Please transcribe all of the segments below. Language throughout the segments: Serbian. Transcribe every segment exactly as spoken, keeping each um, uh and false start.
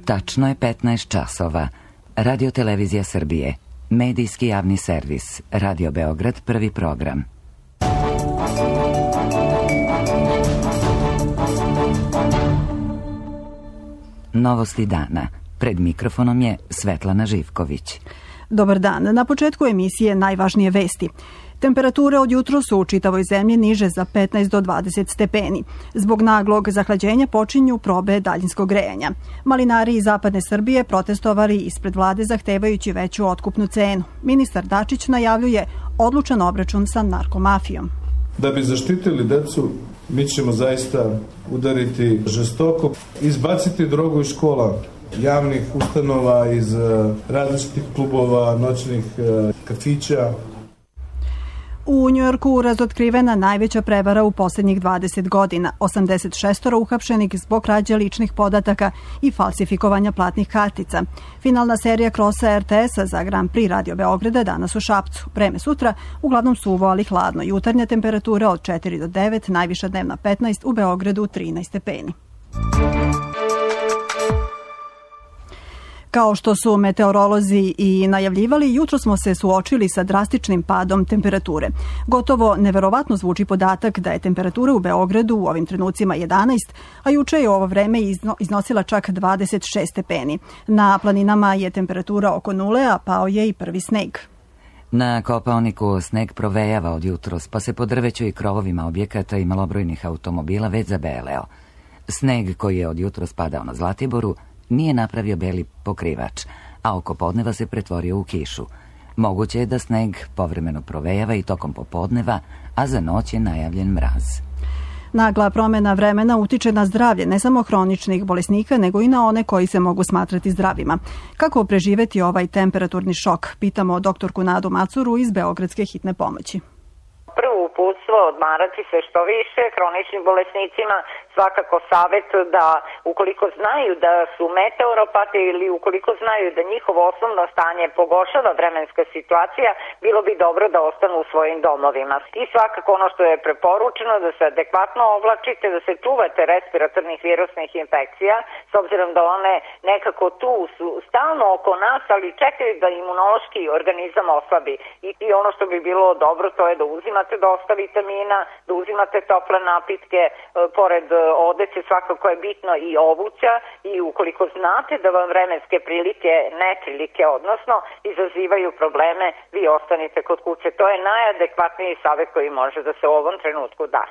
Tačno je petnaest časova. Radio Televizija Srbije. Medijski javni servis. Radio Beograd, prvi program. Novosti dana. Pred mikrofonom je Svetlana Živković. Dobar dan. Na početku emisije najvažnije vesti. Temperature od jutro su u čitavoj zemlji niže za petnaest do dvadeset stepeni. Zbog naglog zahlađenja počinju probe daljinskog grejanja. Malinari iz zapadne Srbije protestovali ispred vlade zahtevajući veću otkupnu cenu. Ministar Dačić najavljuje odlučan obračun sa narkomafijom. Da bi zaštitili decu, mi ćemo zaista udariti žestoko, izbaciti drogu iz škola, javnih ustanova, iz različitih klubova, noćnih kafića. U Njujorku razotkrivena najveća prevara u posljednjih dvadeset godina. osamdeset šest uhapšenih zbog krađe ličnih podataka i falsifikovanja platnih kartica. Finalna serija krosa er te es-a za Grand Prix Radio Beograda danas u Šapcu. Vreme sutra uglavnom suvo, ali hladno. Jutarnja temperatura od četiri do devet, najviša dnevna petnaest, u Beogradu trinaest stepeni. Kao što su meteorolozi i najavljivali, jutro smo se suočili sa drastičnim padom temperature. Gotovo neverovatno zvuči podatak da je temperatura u Beogradu u ovim trenucima jedanaest, a juče je u ovo vreme iznosila čak dvadeset šest stepeni. Na planinama je temperatura oko nule, a pao je i prvi sneg. Na Kopaoniku sneg provejava od jutros, pa se po drveću i krovovima objekata i malobrojnih automobila već zabeleo. Sneg koji je od jutros padao na Zlatiboru nije napravio beli pokrivač, a oko podneva se pretvorio u kišu. Moguće je da sneg povremeno provejava i tokom popodneva, a za noć je najavljen mraz. Nagla promjena vremena utiče na zdravlje ne samo hroničnih bolesnika, nego i na one koji se mogu smatrati zdravima. Kako preživeti ovaj temperaturni šok? Pitamo doktorku Nadu Macuru iz Beogradske hitne pomoći. Prvo uputstvo odmarati se što više, hroničnim bolesnicima svakako savjet da ukoliko znaju da su meteoropati ili ukoliko znaju da njihovo osnovno stanje pogoršava vremenska situacija, bilo bi dobro da ostanu u svojim domovima. I svakako ono što je preporučeno da se adekvatno oblačite, da se čuvate respiratornih virusnih infekcija, s obzirom da one nekako tu su stalno oko nas, ali čekaju da imunološki organizam oslabi. I, i ono što bi bilo dobro to je da uzimate dosta vitamina, da uzimate tople napitke, e, pored odeće svakako je bitno i obuća i ukoliko znate da vam vremenske prilike, neprilike, odnosno izazivaju probleme, vi ostanite kod kuće. To je najadekvatniji savjet koji može da se u ovom trenutku da.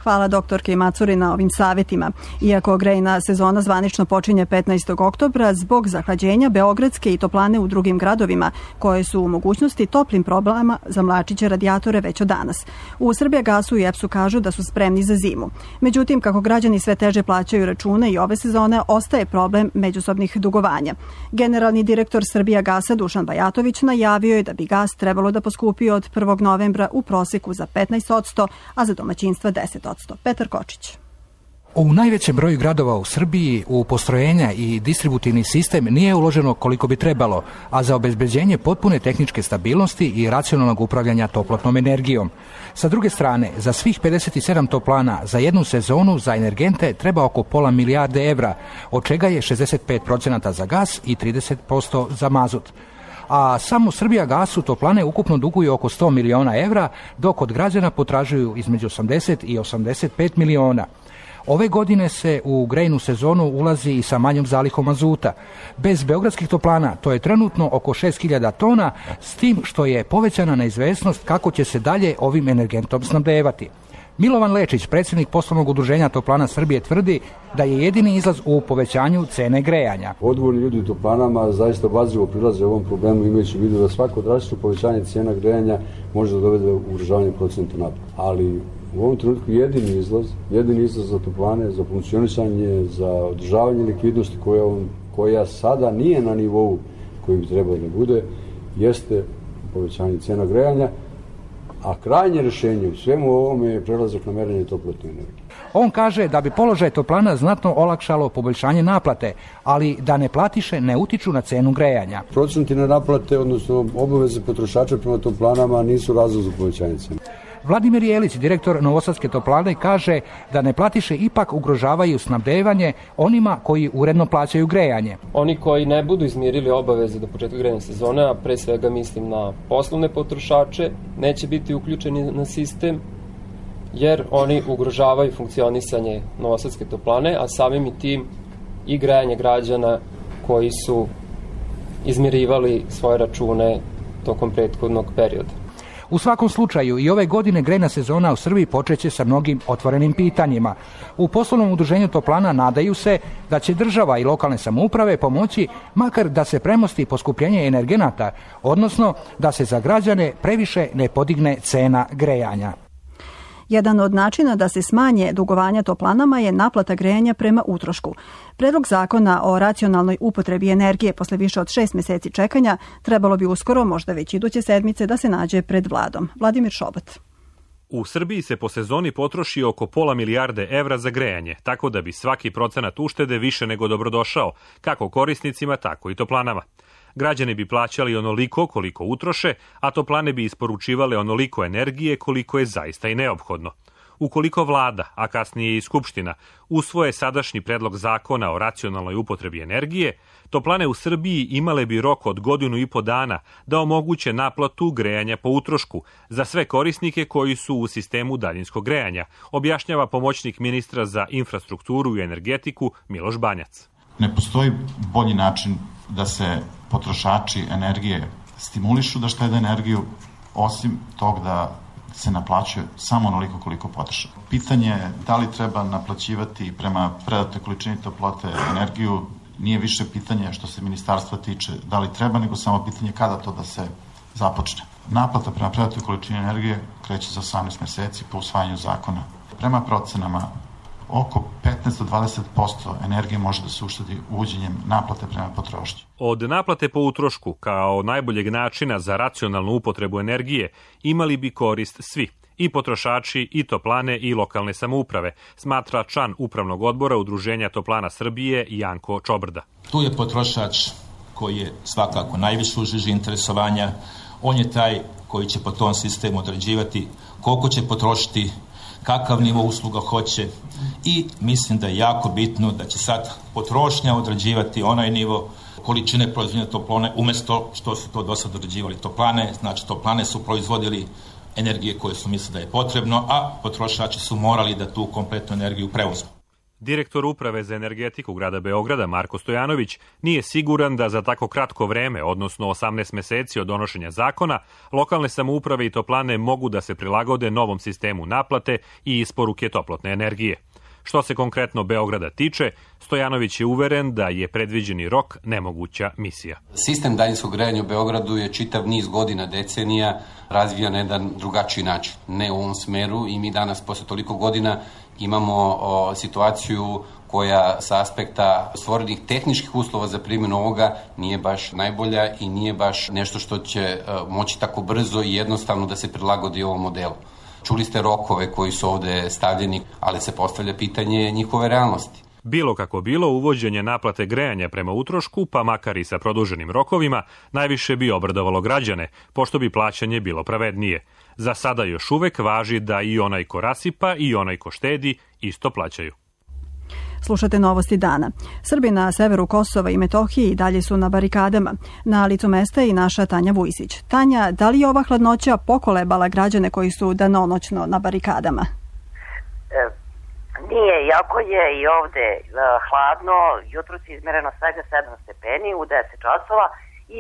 Hvala doktorki Macuri na ovim savjetima. Iako grejna sezona zvanično počinje petnaestog oktobra, zbog zahlađenja beogradske i toplane u drugim gradovima, koje su u mogućnosti toplim problema, zamlačit će radijatore već od danas. U Srbijagasu i EPS-u kažu da su spremni za zimu. Međutim, kako građani sve teže plaćaju račune i ove sezone, ostaje problem međusobnih dugovanja. Generalni direktor Srbijagasa Dušan Bajatović najavio je da bi gas trebalo da poskupi od prvog novembra u proseku za petnaest posto, a za domaćinstva deset posto. Petar Kočić. U najvećem broju gradova u Srbiji u postrojenja i distributivni sistem nije uloženo koliko bi trebalo, a za obezbeđenje potpune tehničke stabilnosti i racionalnog upravljanja toplotnom energijom. Sa druge strane, za svih pedeset sedam toplana za jednu sezonu za energente treba oko pola milijarde evra, od čega je šezdeset pet posto za gas i trideset posto za mazut. A samo Srbijagasu toplane ukupno duguju oko sto miliona evra, dok od građana potražuju između osamdeset i osamdeset pet miliona. Ove godine se u grejnu sezonu ulazi i sa manjom zalihom mazuta. Bez beogradskih toplana to je trenutno oko šest hiljada tona, s tim što je povećana neizvesnost kako će se dalje ovim energentom snabdevati. Milovan Lečić, predsjednik poslovnog udruženja Toplana Srbije, tvrdi da je jedini izlaz u povećanju cene grejanja. Odgovorni ljudi u toplanama zaista obazrivo prilaze ovom problemu, imajući u vidu da svako drastično povećanje cena grejanja može da dovede u ugrožavanje procenta naplate. Ali u ovom trenutku jedini izlaz, jedini izlaz za toplane, za funkcionisanje, za održavanje likvidnosti koja, koja sada nije na nivou koji bi trebalo da bude, jeste povećanje cena grejanja. A krajnje rješenje u svemu ovome je prelazak na merenje toplotne energije. On kaže da bi položaj toplana znatno olakšalo poboljšanje naplate, ali da neplatiše ne utiču na cenu grejanja. Procenti na naplate, odnosno obaveze potrošača prema toplanama nisu razlog za povećanje cene. Vladimir Jelić, direktor Novosadske toplane, kaže da neplatiše ipak ugrožavaju snabdevanje onima koji uredno plaćaju grejanje. Oni koji ne budu izmirili obaveze do početka grejne sezone, a pre svega mislim na poslovne potrošače, neće biti uključeni na sistem, jer oni ugrožavaju funkcionisanje Novosadske toplane, a samim i tim i grejanje građana koji su izmirivali svoje račune tokom prethodnog perioda. U svakom slučaju i ove godine grejna sezona u Srbiji počeće sa mnogim otvorenim pitanjima. U poslovnom udruženju toplana nadaju se da će država i lokalne samouprave pomoći makar da se premosti poskupljenje energenata, odnosno da se za građane previše ne podigne cena grejanja. Jedan od načina da se smanje dugovanja toplanama je naplata grejanja prema utrošku. Predlog zakona o racionalnoj upotrebi energije posle više od šest meseci čekanja trebalo bi uskoro, možda već iduće sedmice, da se nađe pred vladom. Vladimir Šobat. U Srbiji se po sezoni potroši oko pola milijarde evra za grejanje, tako da bi svaki procenat uštede više nego dobrodošao, kako korisnicima, tako i toplanama. Građani bi plaćali onoliko koliko utroše, a toplane bi isporučivale onoliko energije koliko je zaista i neophodno. Ukoliko vlada, a kasnije i Skupština, usvoje sadašnji predlog zakona o racionalnoj upotrebi energije, toplane u Srbiji imale bi rok od godinu i po dana da omoguće naplatu grejanja po utrošku za sve korisnike koji su u sistemu daljinskog grejanja, objašnjava pomoćnik ministra za infrastrukturu i energetiku Miloš Banjac. Ne postoji bolji način da se potrošači energije stimulišu da štede energiju, osim tog da se naplaćuje samo onoliko koliko potroše. Pitanje je da li treba naplaćivati prema predatoj količini toplote energiju, nije više pitanje što se ministarstva tiče da li treba, nego samo pitanje kada to da se započne. Naplata prema predatoj količini energije kreće za osamnaest meseci po usvajanju zakona. Prema procenama, oko petnaest do dvadeset posto energije može da se uštedi uvođenjem naplate prema potrošnji. Od naplate po utrošku, kao najboljeg načina za racionalnu upotrebu energije, imali bi korist svi, i potrošači, i toplane, i lokalne samouprave, smatra član Upravnog odbora Udruženja toplana Srbije Janko Čobrda. Tu je potrošač koji je svakako najviše u žiži interesovanja. On je taj koji će po tom sistemu određivati koliko će potrošiti, kakav nivo usluga hoće, i mislim da je jako bitno da će sad potrošnja određivati onaj nivo količine proizvodnje toplane umjesto što su to do sad određivali toplane. Znači toplane su proizvodili energije koje su mislili da je potrebno, a potrošači su morali da tu kompletnu energiju preuzmu. Direktor Uprave za energetiku grada Beograda Marko Stojanović nije siguran da za tako kratko vreme, odnosno osamnaest meseci od donošenja zakona, lokalne samouprave i toplane mogu da se prilagode novom sistemu naplate i isporuke toplotne energije. Što se konkretno Beograda tiče, Stojanović je uveren da je predviđeni rok nemoguća misija. Sistem daljinskog grejanja u Beogradu je čitav niz godina, decenija, razvija na jedan drugačiji način, ne u ovom smeru, i mi danas posle toliko godina imamo o, situaciju koja sa aspekta stvorenih tehničkih uslova za primjenu ovoga nije baš najbolja i nije baš nešto što će o, moći tako brzo i jednostavno da se prilagodi ovom modelu. Čuli ste rokove koji su ovde stavljeni, ali se postavlja pitanje njihove realnosti. Bilo kako bilo, uvođenje naplate grejanja prema utrošku, pa makar i sa produženim rokovima, najviše bi obradovalo građane, pošto bi plaćanje bilo pravednije. Za sada još uvek važi da i onaj ko rasipa i onaj ko štedi isto plaćaju. Slušate novosti dana. Srbi na severu Kosova i Metohije i dalje su na barikadama. Na licu mesta je i naša Tanja Vujsić. Tanja, da li je ova hladnoća pokolebala građane koji su danonoćno na barikadama? E, nije, iako je i ovde e, hladno, jutros je izmereno svega sedam stepeni u deset časova,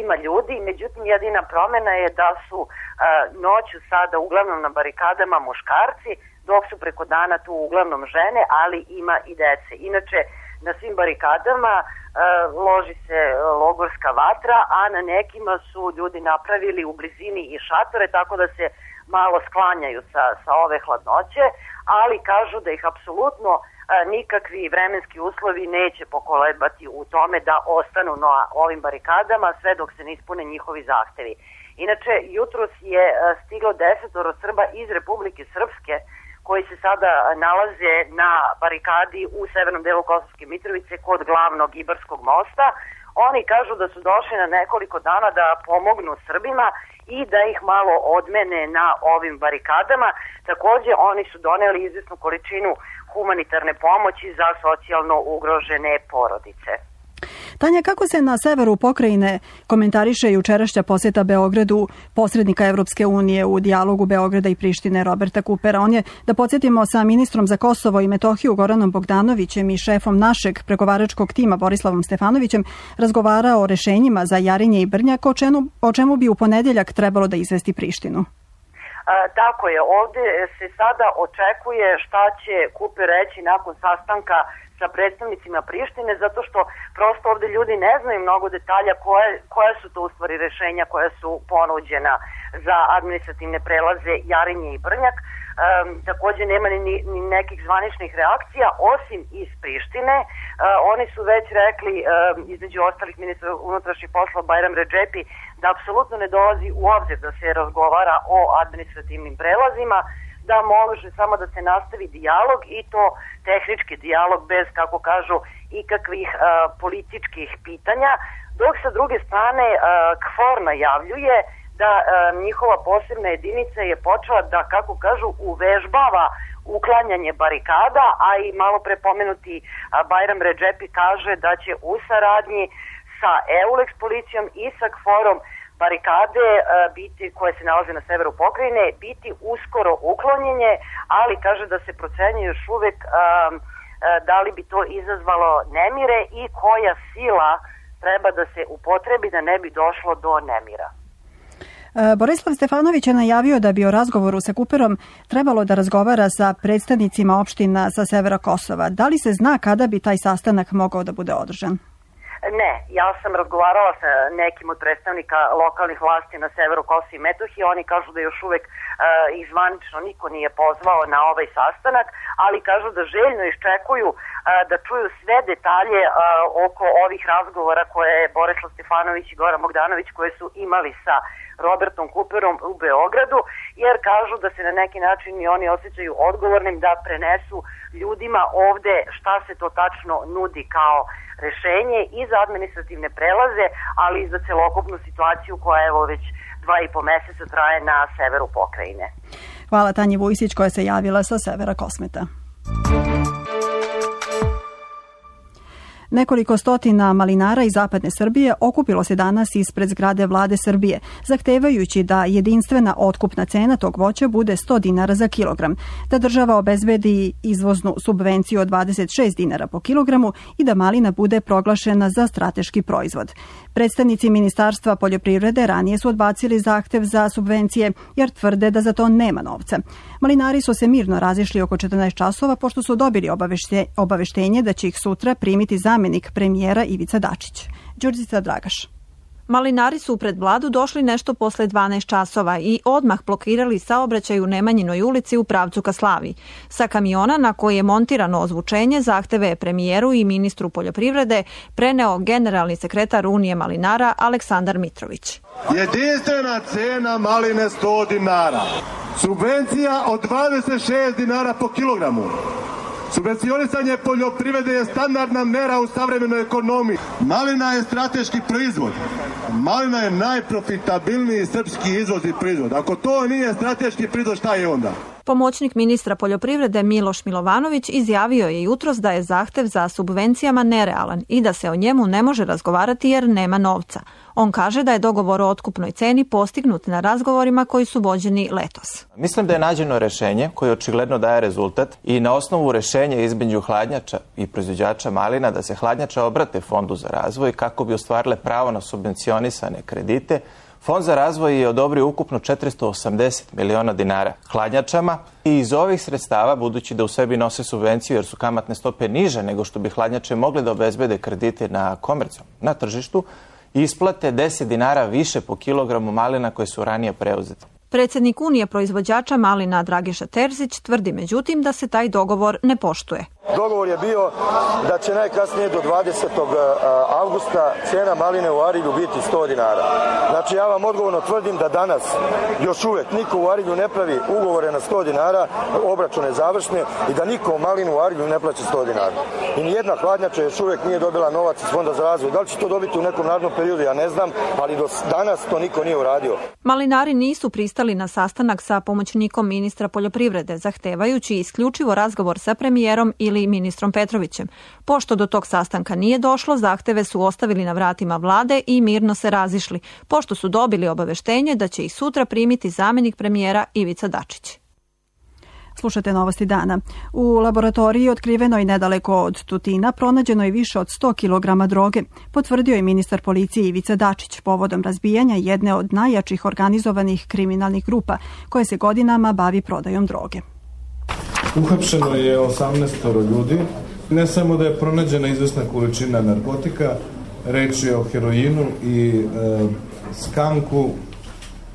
ima ljudi, međutim jedina promena je da su e, noću sada uglavnom na barikadama muškarci, dok su preko dana tu uglavnom žene, ali ima i dece. Inače, na svim barikadama e, loži se logorska vatra, a na nekima su ljudi napravili u blizini i šatore, tako da se malo sklanjaju sa, sa ove hladnoće, ali kažu da ih apsolutno e, nikakvi vremenski uslovi neće pokolebati u tome da ostanu na ovim barikadama sve dok se ne ispune njihovi zahtevi. Inače, jutros je e, stiglo desetoro Srba iz Republike Srpske, koji se sada nalaze na barikadi u severnom delu Kosovske Mitrovice kod glavnog Ibarskog mosta. Oni kažu da su došli na nekoliko dana da pomognu Srbima i da ih malo odmene na ovim barikadama. Takođe, oni su doneli izvesnu količinu humanitarne pomoći za socijalno ugrožene porodice. Tanja, kako se na severu pokrajine komentariše jučerašnja poseta Beogradu posrednika Evropske unije u dijalogu Beograda i Prištine Roberta Kupera? On je, da podsjetimo, sa ministrom za Kosovo i Metohiju Goranom Bogdanovićem i šefom našeg pregovaračkog tima Borislavom Stefanovićem razgovarao o rešenjima za Jarinje i Brnjak, o čemu, o čemu bi u ponedeljak trebalo da izvesti Prištinu. A, tako je, ovde se sada očekuje šta će Kuper reći nakon sastanka sa predstavnicima Prištine, zato što prosto ovde ljudi ne znaju mnogo detalja koje, koje su to u stvari rešenja koja su ponuđena za administrativne prelaze Jarinje i Brnjak. Um, takođe nema ni, ni nekih zvaničnih reakcija, osim iz Prištine. Uh, oni su već rekli, um, između ostalih ministra unutrašnjih poslova Bajram Redžepi, da apsolutno ne dolazi u obzir da se razgovara o administrativnim prelazima, da može samo da se nastavi dijalog i to tehnički dijalog bez, kako kažu, ikakvih uh, političkih pitanja, dok sa druge strane uh, KFOR najavljuje da uh, njihova posebna jedinica je počela da, kako kažu, uvežbava uklanjanje barikada, a i malo pre pomenuti uh, Bajram Redžepi kaže da će u saradnji sa EULEX policijom i sa KFOR-om barikade uh, biti, koje se nalaze na severu pokrajine, biti uskoro uklonjenje, ali kaže da se procenjuje još uvek um, uh, da li bi to izazvalo nemire i koja sila treba da se upotrebi da ne bi došlo do nemira. Borislav Stefanović je najavio da bi o razgovoru sa Kuperom trebalo da razgovara sa predstavnicima opština sa severa Kosova. Da li se zna kada bi taj sastanak mogao da bude održan? Ne, ja sam razgovarala sa nekim od predstavnika lokalnih vlasti na severu Kosova i Metohije. Oni kažu da još uvek uh, ih zvanično niko nije pozvao na ovaj sastanak, ali kažu da željno iščekuju uh, da čuju sve detalje uh, oko ovih razgovora koje je Borislav Stefanović i Goran Bogdanović koje su imali sa Robertom Kuperom u Beogradu, jer kažu da se na neki način i oni osjećaju odgovornim da prenesu ljudima ovde šta se to tačno nudi kao rešenje i za administrativne prelaze, ali i za celokupnu situaciju koja evo već dva i po meseca traje na severu pokrajine. Hvala Tanji Vujsić koja se javila sa severa Kosmeta. Nekoliko stotina malinara iz zapadne Srbije okupilo se danas ispred zgrade Vlade Srbije, zahtevajući da jedinstvena otkupna cena tog voća bude sto dinara za kilogram, da država obezbedi izvoznu subvenciju od dvadeset šest dinara po kilogramu i da malina bude proglašena za strateški proizvod. Predstavnici Ministarstva poljoprivrede ranije su odbacili zahtev za subvencije jer tvrde da za to nema novca. Malinari su se mirno razišli oko četrnaest časova pošto su dobili obavešte, obaveštenje da će ih sutra primiti zamenik premijera Ivica Dačić. Đurđica Dragaš. Malinari su pred Vladu došli nešto posle dvanaest časova i odmah blokirali saobraćaj u Nemanjinoj ulici u pravcu ka Slaviji. Sa kamiona na koji je montirano ozvučenje zahteve je premijeru i ministru poljoprivrede preneo generalni sekretar Unije malinara Aleksandar Mitrović. Jedinstvena cena maline sto dinara. Subvencija od dvadeset šest dinara po kilogramu. Subvencionisanje poljoprivrede je standardna mera u savremenoj ekonomiji. Malina je strateški proizvod. Malina je najprofitabilniji srpski izvozni proizvod. Ako to nije strateški proizvod, šta je onda? Pomoćnik ministra poljoprivrede Miloš Milovanović izjavio je jutros da je zahtev za subvencijama nerealan i da se o njemu ne može razgovarati jer nema novca. On kaže da je dogovor o otkupnoj ceni postignut na razgovorima koji su vođeni letos. Mislim da je nađeno rešenje koje očigledno daje rezultat i na osnovu rešenja između hladnjača i proizvođača malina da se hladnjača obrate Fondu za razvoj kako bi ostvarile pravo na subvencionisane kredite. Fond za razvoj je odobrio ukupno četiristo osamdeset miliona dinara hladnjačama i iz ovih sredstava, budući da u sebi nose subvenciju jer su kamatne stope niže nego što bi hladnjače mogle da obezbede kredite na komercijom, na tržištu, isplate deset dinara više po kilogramu malina koje su ranije preuzete. Predsjednik Unije proizvođača malina Dragiša Terzić tvrdi međutim da se taj dogovor ne poštuje. Dogovor je bio da će najkasnije do dvadesetog avgusta cena maline u Arilju biti sto dinara. Znači ja vam odgovorno tvrdim da danas još uvek niko u Arilju ne pravi ugovore na sto dinara, obračune završne, i da niko malinu u Arilju ne plaća sto dinara. I nijedna hladnjača još uvek nije dobila novac iz Fonda za razvoj. Da li će to dobiti u nekom narednom periodu, ja ne znam, ali do danas to niko nije uradio. Malinari nisu pristali na sastanak sa pomoćnikom ministra poljoprivrede, zahtevajući isključivo razgovor sa premijerom ili ministrom Petrovićem. Pošto do tog sastanka nije došlo, zahteve su ostavili na vratima vlade i mirno se razišli, pošto su dobili obaveštenje da će ih sutra primiti zamenik premijera Ivica Dačić. Slušate novosti dana. U laboratoriji otkrivenoj nedaleko od Tutina pronađeno je više od sto kilograma droge, potvrdio je ministar policije Ivica Dačić povodom razbijanja jedne od najjačih organizovanih kriminalnih grupa koje se godinama bavi prodajom droge. Uhapšeno je osamnaest ljudi. Ne samo da je pronađena izvesna količina narkotika, reč je o heroinu i e, skanku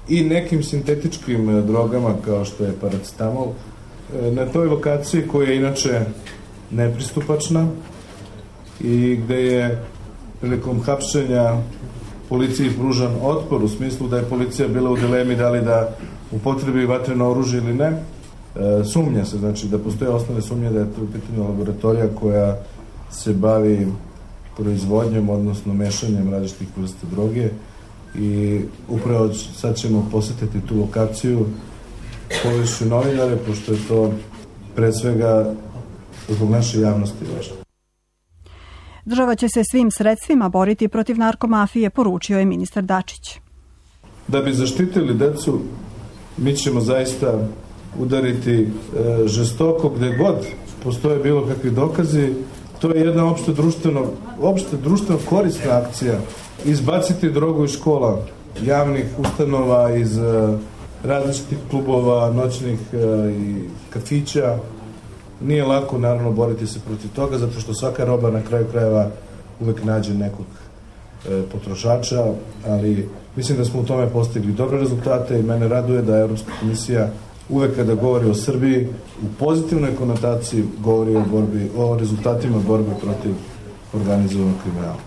i nekim sintetičkim drogama kao što je paracetamol. E, na toj lokaciji koja je inače nepristupačna i gde je prilikom hapšenja policiji pružan otpor u smislu da je policija bila u dilemi da li da upotrebi vatreno oružje ili ne. E, sumnja se, znači da postoje osnovne sumnje da je to u pitanju laboratorija koja se bavi proizvodnjom, odnosno mešanjem različitih vrsta droge, i upravo sad ćemo posetiti tu lokaciju, povešću novinare, pošto je to pre svega zbog naše javnosti važno. Država će se svim sredstvima boriti protiv narkomafije, poručio je ministar Dačić. Da bi zaštitili decu, mi ćemo zaista udariti e, žestoko gde god postoje bilo kakvi dokazi. To je jedna opšte društveno, opšte društveno korisna akcija. Izbaciti drogu iz škola, javnih ustanova, iz e, različitih klubova, noćnih e, i kafića. Nije lako, naravno, boriti se protiv toga, zato što svaka roba na kraju krajeva uvek nađe nekog e, potrošača, ali mislim da smo u tome postigli dobre rezultate i mene raduje da Evropska komisija uvek kada govori o Srbiji u pozitivnoj konotaciji govori o, borbi, o rezultatima borbe protiv organizovanog kriminala.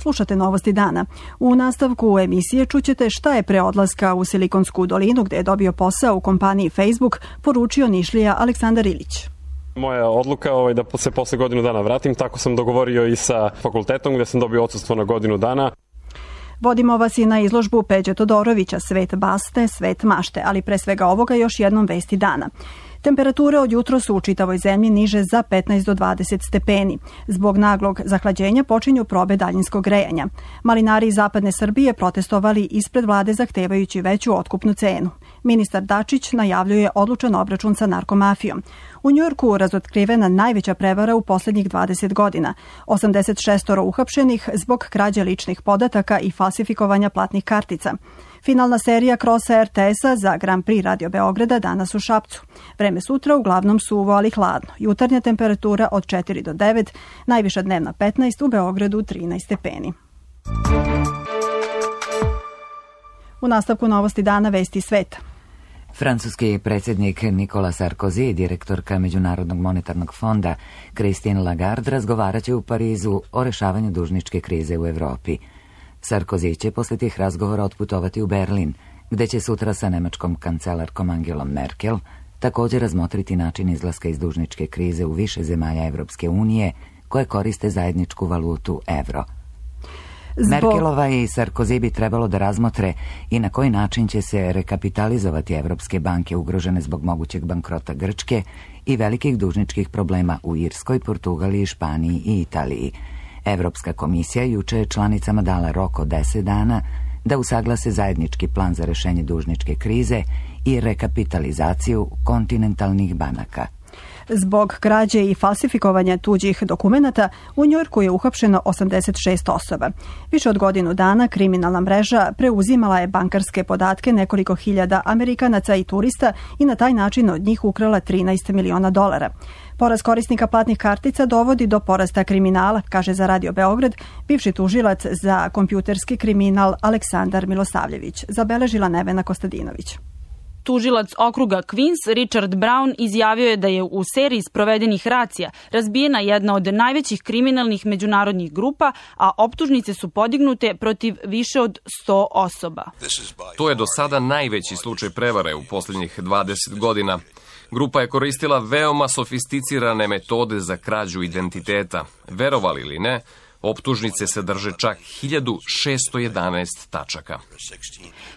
Slušate novosti dana. U nastavku emisije čućete šta je pre odlaska u Silikonsku dolinu, gde je dobio posao u kompaniji Facebook, poručio Nišlija Aleksandar Ilić. Moja odluka je da se posle godinu dana vratim, tako sam dogovorio i sa fakultetom gde sam dobio odsustvo na godinu dana. Vodimo vas i na izložbu Peđe Todorovića, Svet baste, svet mašte, ali pre svega ovoga još jednom vesti dana. Temperature od jutro su u čitavoj zemlji niže za petnaest do dvadeset stepeni. Zbog naglog zahlađenja počinju probe daljinskog grejanja. Malinari iz zapadne Srbije protestovali ispred vlade zahtevajući veću otkupnu cenu. Ministar Dačić najavljuje odlučan obračun sa narkomafijom. U Njujorku razotkrivena najveća prevara u poslednjih dvadeset godina. osamdeset šest uhapšenih zbog krađe ličnih podataka i falsifikovanja platnih kartica. Finalna serija krosa er te es-a za Grand Prix Radio Beograda danas u Šapcu. Vreme sutra uglavnom suvo, ali hladno. Jutarnja temperatura od četiri do devet, najviša dnevna petnaest, u Beogradu trinaest stepeni. U nastavku novosti dana vesti sveta. Francuski predsjednik Nicolas Sarkozy i direktorka Međunarodnog monetarnog fonda Christine Lagarde razgovarat će u Parizu o rešavanju dužničke krize u Evropi. Sarkozy će posle tih razgovora otputovati u Berlin, gde će sutra sa nemačkom kancelarkom Angelom Merkel također razmotriti način izlaska iz dužničke krize u više zemalja Evropske unije koje koriste zajedničku valutu evro. Zbog... Merkelova i Sarkozy bi trebalo da razmotre i na koji način će se rekapitalizovati evropske banke ugrožene zbog mogućeg bankrota Grčke i velikih dužničkih problema u Irskoj, Portugaliji, Španiji i Italiji. Evropska komisija juče je članicama dala rok od deset dana da usaglase zajednički plan za rešenje dužničke krize i rekapitalizaciju kontinentalnih banaka. Zbog krađe i falsifikovanja tuđih dokumenata u Njujorku je uhapšeno osamdeset šest osoba. Više od godinu dana kriminalna mreža preuzimala je bankarske podatke nekoliko hiljada Amerikanaca i turista i na taj način od njih ukrala trinaest miliona dolara. Porast korisnika platnih kartica dovodi do porasta kriminala, kaže za Radio Beograd bivši tužilac za kompjuterski kriminal Aleksandar Milosavljević, zabeležila Nevena Kostadinović. Tužilac okruga Queens, Richard Brown, izjavio je da je u seriji sprovedenih racija razbijena jedna od najvećih kriminalnih međunarodnih grupa, a optužnice su podignute protiv više od sto osoba. To je do sada najveći slučaj prevare u posljednjih dvadeset godina. Grupa je koristila veoma sofisticirane metode za krađu identiteta. Verovali ili ne, optužnice sadrže čak hiljadu šesto jedanaest tačaka.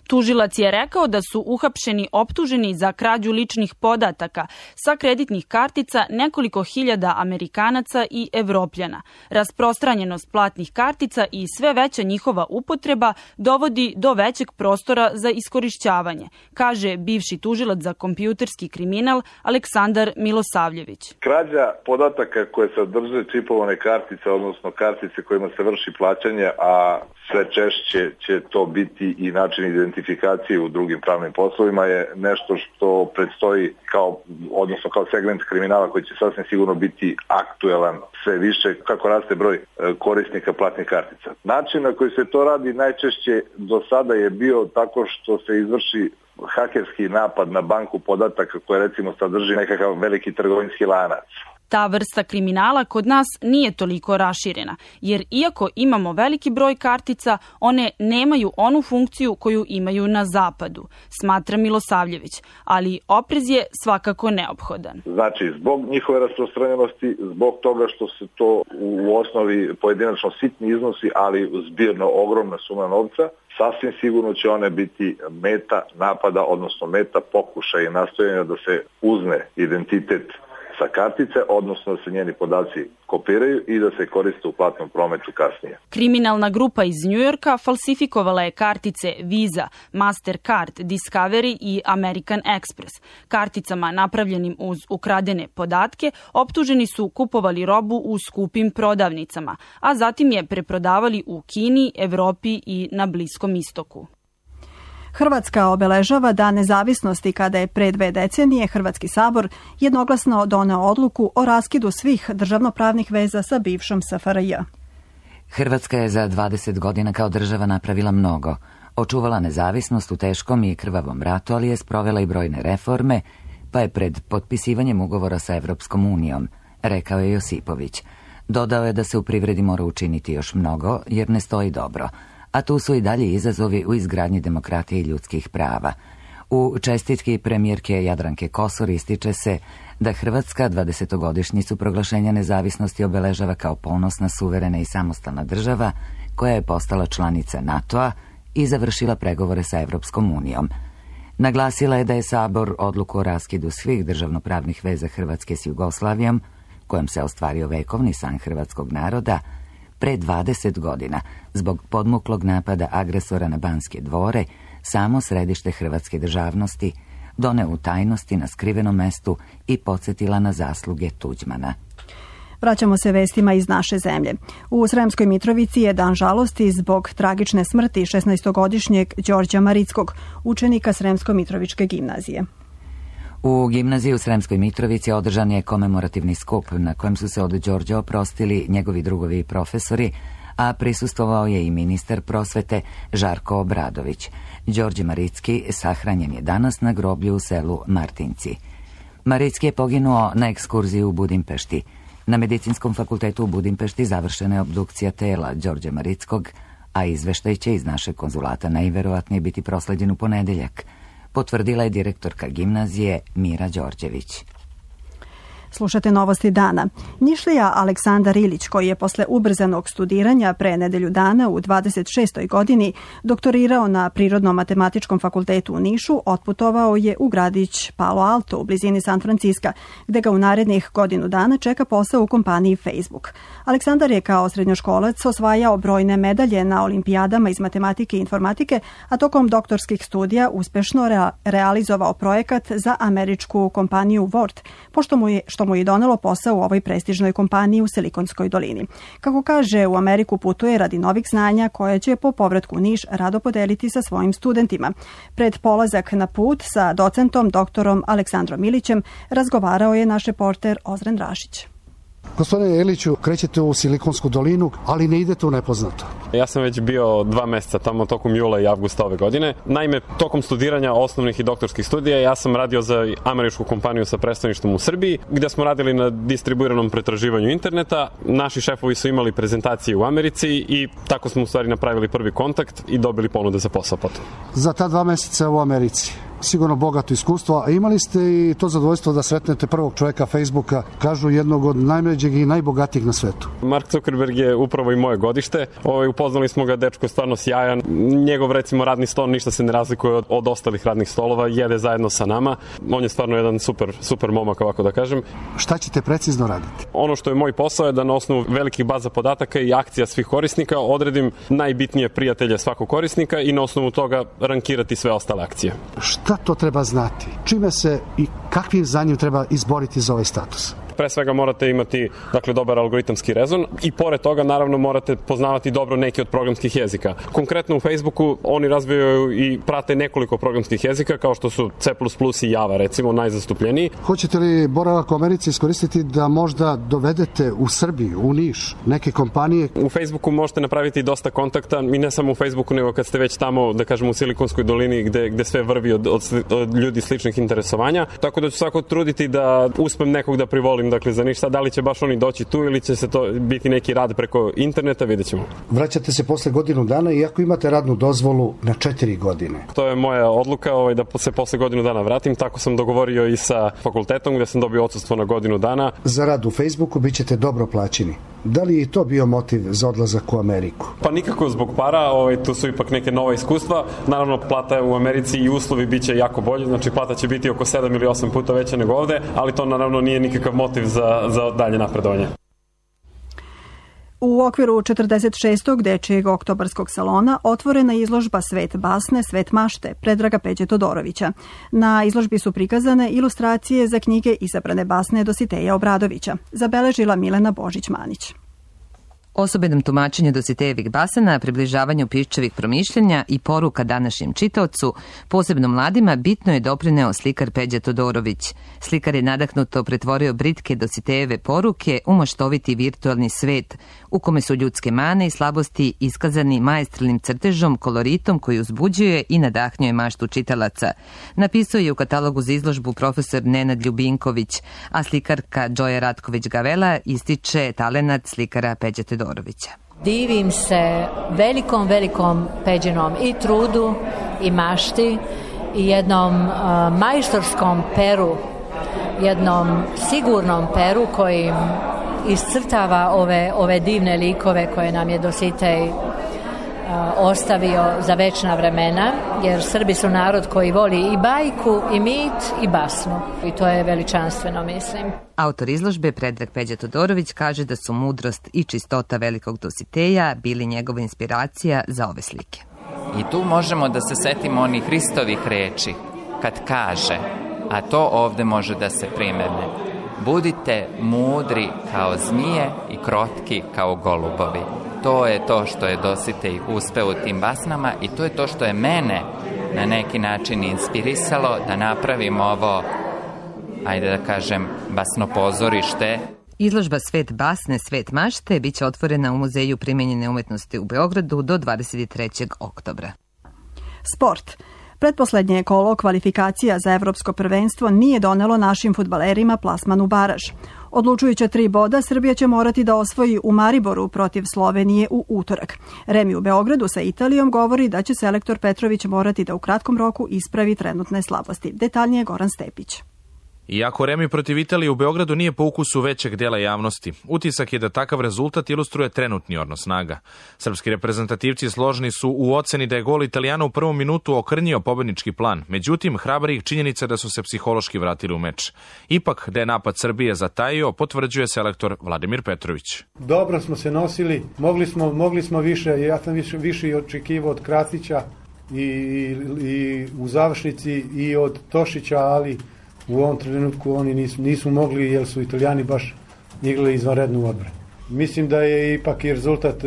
Tužilac je rekao da su uhapšeni optuženi za krađu ličnih podataka sa kreditnih kartica nekoliko hiljada Amerikanaca i Evropljana. Rasprostranjenost platnih kartica i sve veća njihova upotreba dovodi do većeg prostora za iskorišćavanje, kaže bivši tužilac za kompjuterski kriminal Aleksandar Milosavljević. Krađa podataka koje sadrže čipovane kartice, odnosno kartice kojima se vrši plaćanje, a sve češće će to biti i način identifikacije u drugim pravnim poslovima, je nešto što predstoji kao, odnosno kao segment kriminala koji će sasvim sigurno biti aktuelan sve više kako raste broj korisnika platnih kartica. Način na koji se to radi najčešće do sada je bio tako što se izvrši hakerski napad na banku podataka koja recimo sadrži nekakav veliki trgovinski lanac. Ta vrsta kriminala kod nas nije toliko raširena, jer iako imamo veliki broj kartica, one nemaju onu funkciju koju imaju na zapadu, smatra Milosavljević, ali oprez je svakako neophodan. Znači, zbog njihove rasprostranjenosti, zbog toga što se to u osnovi pojedinačno sitni iznosi, ali zbirno ogromna suma novca, sasvim sigurno će one biti meta napada, odnosno meta pokušaja i nastojanja da se uzme identitet sa kartice, odnosno da se njeni podaci kopiraju i da se koriste u platnom prometu kasnije. Kriminalna grupa iz Njujorka falsifikovala je kartice Visa, Mastercard, Discovery i American Express. Karticama napravljenim uz ukradene podatke optuženi su kupovali robu u skupim prodavnicama, a zatim je preprodavali u Kini, Evropi i na Bliskom istoku. Hrvatska obeležava Dan nezavisnosti kada je pre dve decenije Hrvatski sabor jednoglasno doneo odluku o raskidu svih državnopravnih veza sa bivšom S F R J. Hrvatska je za dvadeset godina kao država napravila mnogo. Očuvala nezavisnost u teškom i krvavom ratu, ali je sprovela i brojne reforme, pa je pred potpisivanjem ugovora sa Evropskom unijom, rekao je Josipović. Dodao je da se u privredi mora učiniti još mnogo, jer ne stoji dobro, a tu su i dalje izazovi u izgradnji demokratije i ljudskih prava. U čestitki premijerke Jadranke Kosor ističe se da Hrvatska dvadesetogodišnjicu proglašenja nezavisnosti obeležava kao ponosna, suverena i samostalna država koja je postala članica NATO-a i završila pregovore sa Evropskom unijom. Naglasila je da je Sabor odluku o raskidu svih državnopravnih veza Hrvatske s Jugoslavijom, kojom se ostvario vekovni san hrvatskog naroda, pre dvadeset godina, zbog podmuklog napada agresora na Banske dvore, samo središte hrvatske državnosti, doneo u tajnosti na skrivenom mestu i podsjetila na zasluge Tuđmana. Vraćamo se vestima iz naše zemlje. U Sremskoj Mitrovici je dan žalosti zbog tragične smrti šesnaestogodišnjeg Đorđa Marickog, učenika Sremsko-Mitrovičke gimnazije. U gimnaziji u Sremskoj Mitrovici održan je komemorativni skup na kojem su se od Đorđa oprostili njegovi drugovi i profesori, a prisustvovao je i ministar prosvete Žarko Obradović. Đorđe Maricki sahranjen je danas na groblju u selu Martinci. Maricki je poginuo na ekskurziji u Budimpešti. Na Medicinskom fakultetu u Budimpešti završena je obdukcija tela Đorđa Marickog, a izveštaj će iz našeg konzulata najverovatnije biti prosleđen u ponedeljak, potvrdila je direktorka gimnazije Mira Đorđević. Slušate novosti dana. Nišlija Aleksandar Ilić, koji je posle ubrzanog studiranja pre nedelju dana u dvadeset šestoj godini doktorirao na Prirodno-matematičkom fakultetu u Nišu, otputovao je u gradić Palo Alto u blizini San Franciska, gde ga u narednih godinu dana čeka posao u kompaniji Facebook. Aleksandar je kao srednjoškolac osvajao brojne medalje na olimpijadama iz matematike i informatike, a tokom doktorskih studija uspešno rea- realizovao projekat za američku kompaniju Word, pošto mu je, što mu je donelo posao u ovoj prestižnoj kompaniji u Silikonskoj dolini. Kako kaže, u Ameriku putuje radi novih znanja koje će po povratku u Niš rado podeliti sa svojim studentima. Pred polazak na put sa docentom doktorom Aleksandrom Ilićem razgovarao je naš reporter Ozren Rašić. Gospodine Eliću, krećete u Silikonsku dolinu, ali ne idete u nepoznato. Ja sam već bio dva meseca tamo tokom jula i avgusta ove godine. Naime, tokom studiranja osnovnih i doktorskih studija ja sam radio za američku kompaniju sa predstavništvom u Srbiji, gde smo radili na distribuiranom pretraživanju interneta. Naši šefovi su imali prezentacije u Americi i tako smo u stvari napravili prvi kontakt i dobili ponude za posao potom. Za ta dva meseca u Americi sigurno bogato iskustvo, a imali ste i to zadovoljstvo da sretnete prvog čovjeka Facebooka, kažu jednog od najmlađeg i najbogatijeg na svetu. Mark Zuckerberg je upravo i moje godište. Ovaj, upoznali smo ga, dečko je stvarno sjajan. Njegov, recimo, radni stol ništa se ne razlikuje od, od ostalih radnih stolova, jede zajedno sa nama. On je stvarno jedan super, super momak, ovako da kažem. Šta ćete precizno raditi? Ono što je moj posao je da na osnovu velikih baza podataka i akcija svih korisnika odredim najbitnije prijatelje svakog korisnika i na osnovu toga rankirati sve ostale akcije. Šta to treba znati? Čime se i kakvim znanjem treba izboriti za ovaj status? Pre svega morate imati, dakle, dobar algoritamski rezon i pored toga naravno morate poznavati dobro neki od programskih jezika. Konkretno u Facebooku oni razvijaju i prate nekoliko programskih jezika kao što su C plus plus i Java, recimo, najzastupljeniji. Hoćete li boravak u Americi iskoristiti da možda dovedete u Srbiju, u Niš, neke kompanije? U Facebooku možete napraviti dosta kontakta i ne samo u Facebooku, nego kad ste već tamo, da kažemo, u Silikonskoj dolini gde, gde sve vrvi od, od, od ljudi sličnih interesovanja. Tako da ću svako truditi da uspem nekog da privolim, dakle, za ništa. Da li će baš oni doći tu ili će se to biti neki rad preko interneta, vidjet ćemo. Vraćate se posle godinu dana i ako imate radnu dozvolu na četiri godine. To je moja odluka, ovaj, da se posle godinu dana vratim. Tako sam dogovorio i sa fakultetom gde sam dobio odsustvo na godinu dana. Za rad u Facebooku bit ćete dobro plaćeni. Da li je i to bio motiv za odlazak u Ameriku? Pa nikako zbog para, ovaj, tu su ipak neke nova iskustva. Naravno, plata u Americi i uslovi bit će jako bolji, znači plata će biti oko sedam ili osam puta veća nego ovde, ali to naravno nije nikakav motiv za, za dalje napredovanje. U okviru četrdeset šestog dečijeg oktobarskog salona otvorena izložba Svet basne, svet mašte Predraga Peđe Todorovića. Na izložbi su prikazane ilustracije za knjige izabrane basne Dositeja Obradovića, zabeležila Milena Božić-Manić. Osobenom tumačenju Dositejevih basana, približavanju piščevih promišljenja i poruka današnjem čitaocu, posebno mladima, bitno je doprineo slikar Peđa Todorović. Slikar je nadahnuto pretvorio britke Dositejeve poruke u maštoviti virtualni svet, u kome su ljudske mane i slabosti iskazani maestralnim crtežom, koloritom koji uzbuđuje i nadahnjuje maštu čitalaca. Napisao je u katalogu za izložbu profesor Nenad Ljubinković, a slikarka Džoja Ratković-Gavela ističe talenat slikara Peđa Todorovića. Divim se velikom, velikom Peđinom i trudu i mašti i jednom uh, majstorskom peru, jednom sigurnom peru koji iscrtava ove, ove divne likove koje nam je Dositej uh, ostavio za večna vremena, jer Srbi su narod koji voli i bajku, i mit, i basnu. I to je veličanstveno, mislim. Autor izložbe Predrag Peđa Todorović kaže da su mudrost i čistota velikog Dositeja bili njegova inspiracija za ove slike. I tu možemo da se setimo onih Hristovih reči, kad kaže, a to ovde može da se primene: budite mudri kao zmije i krotki kao golubovi. To je to što je Dositej uspeo u tim basnama i to je to što je mene na neki način inspirisalo da napravim ovo, ajde da kažem, basno pozorište. Izložba Svet basne, svet mašte biće otvorena u Muzeju primenjene umetnosti u Beogradu do dvadeset trećeg oktobra. Sport. Pretposlednje kolo kvalifikacija za evropsko prvenstvo nije donelo našim fudbalerima plasman u baraž. Odlučujuća tri boda Srbija će morati da osvoji u Mariboru protiv Slovenije u utorak. Remi u Beogradu sa Italijom govori da će selektor Petrović morati da u kratkom roku ispravi trenutne slabosti. Detaljnije Goran Stepić. Iako remi protiv Italije u Beogradu nije po ukusu većeg dela javnosti, utisak je da takav rezultat ilustruje trenutni odnos snaga. Srpski reprezentativci složni su u oceni da je gol Italijana u prvom minutu okrnjio pobednički plan, međutim, hrabri ih činjenica da su se psihološki vratili u meč. Ipak, da je napad Srbije zatajio, potvrđuje selektor Vladimir Petrović. Dobro smo se nosili, mogli smo, mogli smo više, ja sam više, više očekivao od Kratića i, i, i u završnici i od Tošića, ali u ovom trenutku oni nisu, nisu mogli jer su Italijani baš igrali izvanrednu odbranu. Mislim da je ipak i rezultat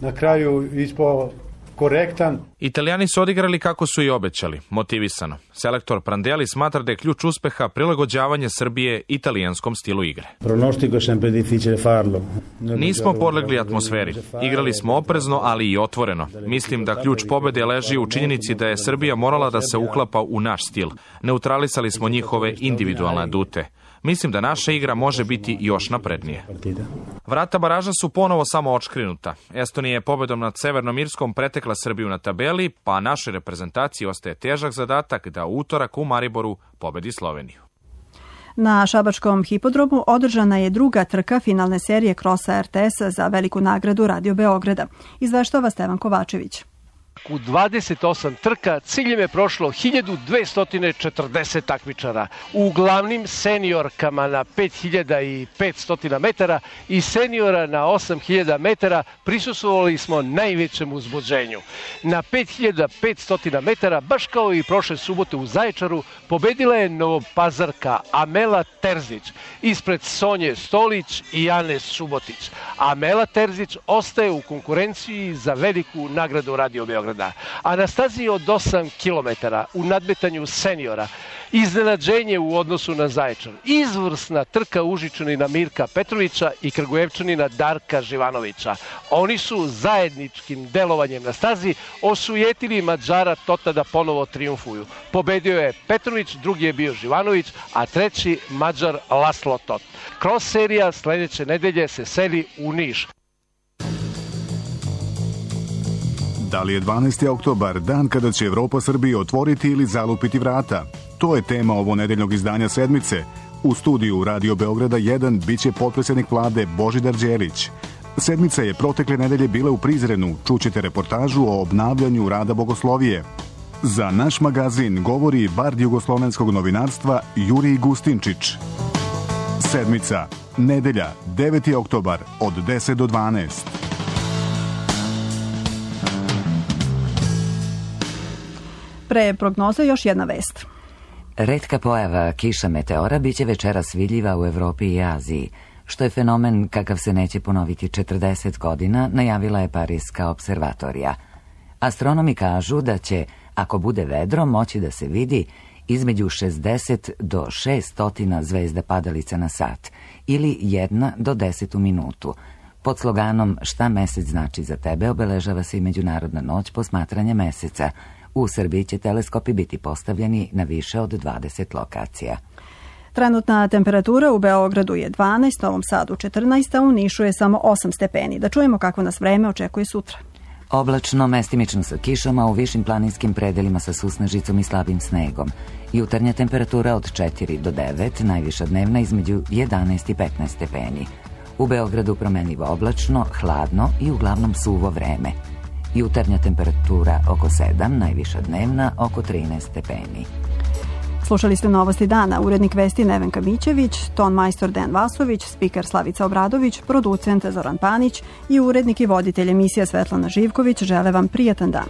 na kraju ispao korektan. Italijani su odigrali kako su i obećali, motivisano. Selektor Prandelli smatra da je ključ uspeha prilagođavanje Srbije italijanskom stilu igre. Pronostico je sempre difficile farlo. Nismo podlegli atmosferi. Igrali smo oprezno, ali i otvoreno. Mislim da ključ pobede leži u činjenici da je Srbija morala da se uklapa u naš stil. Neutralisali smo njihove individualne adute. Mislim da naša igra može biti još naprednije. Vrata baraža su ponovo samo očkrinuta. Estonija je pobedom nad Severnom Irskom pretekla Srbiju na tabeli, pa našoj reprezentaciji ostaje težak zadatak da u utorak u Mariboru pobedi Sloveniju. Na šabačkom hipodromu održana je druga trka finalne serije krosa er te es za veliku nagradu Radio Beograda. Izveštava Stevan Kovačević. U dvadeset osam trka ciljem je prošlo hiljadu dvesta četrdeset takmičara. U glavnim seniorkama na pet hiljada petsto metara i seniora na osam hiljada metara prisustvovali smo najvećem uzbuđenju. Na pet hiljada petsto metara, baš kao i prošle subote u Zaječaru, pobedila je Novopazarka Amela Terzić ispred Sonje Stolić i Ane Subotić. Amela Terzić ostaje u konkurenciji za veliku nagradu Radio Beograda. A na stazi od osam kilometara u nadmetanju seniora iznenađenje u odnosu na Zaječar. Izvrsna trka Užičanina Mirka Petrovića i Kragujevčanina Darka Živanovića. Oni su zajedničkim delovanjem na stazi osujetili Mađara Tota da ponovo triumfuju. Pobedio je Petrović, drugi je bio Živanović, a treći Mađar Laslo Tot. Cross serija sledeće nedelje se seli u Niš. Da li je dvanaesti oktobar dan kada će Evropa Srbiji otvoriti ili zalupiti vrata? To je tema ovo nedeljnog izdanja Sedmice. U studiju Radio Beograda jedan biće potpredsjednik vlade Božidar Đelić. Sedmica je protekle nedelje bila u Prizrenu. Čućete reportažu o obnavljanju rada bogoslovije. Za naš magazin govori bard jugoslovenskog novinarstva Jurij Gustinčić. Sedmica, nedelja, deveti oktobar, od deset do dvanaest. Pre prognoze još jedna vest. Retka pojava kiša meteora biće večeras vidljiva u Evropi i Aziji, što je fenomen kakav se neće ponoviti četrdeset godina, najavila je Pariska observatorija. Astronomi kažu da će, ako bude vedro, moći da se vidi između šezdeset do šesto zvezda padalica na sat ili jedna do deset u minutu. Pod sloganom Šta mesec znači za tebe obeležava se i Međunarodna noć posmatranja meseca. U Srbiji će teleskopi biti postavljeni na više od dvadeset lokacija. Trenutna temperatura u Beogradu je dvanaest, Novom Sadu četrnaest, a u Nišu je samo osam stepeni. Da čujemo kako nas vreme očekuje sutra. Oblačno, mestimično sa kišom, a u višim planinskim predelima sa susnežicom i slabim snegom. Jutarnja temperatura od četiri do devet, najviša dnevna između jedanaest i petnaest stepeni. U Beogradu promenljivo oblačno, hladno i uglavnom suvo vreme. Jutarnja temperatura oko sedam, najviša dnevna oko trinaest stepeni. Slušali ste Novosti dana, urednik vesti Nevenka Mićević, ton majstor Dejan Vasović, spiker Slavica Obradović, producent Zoran Panić i urednik i voditelj emisija Svetlana Živković žele vam prijatan dan.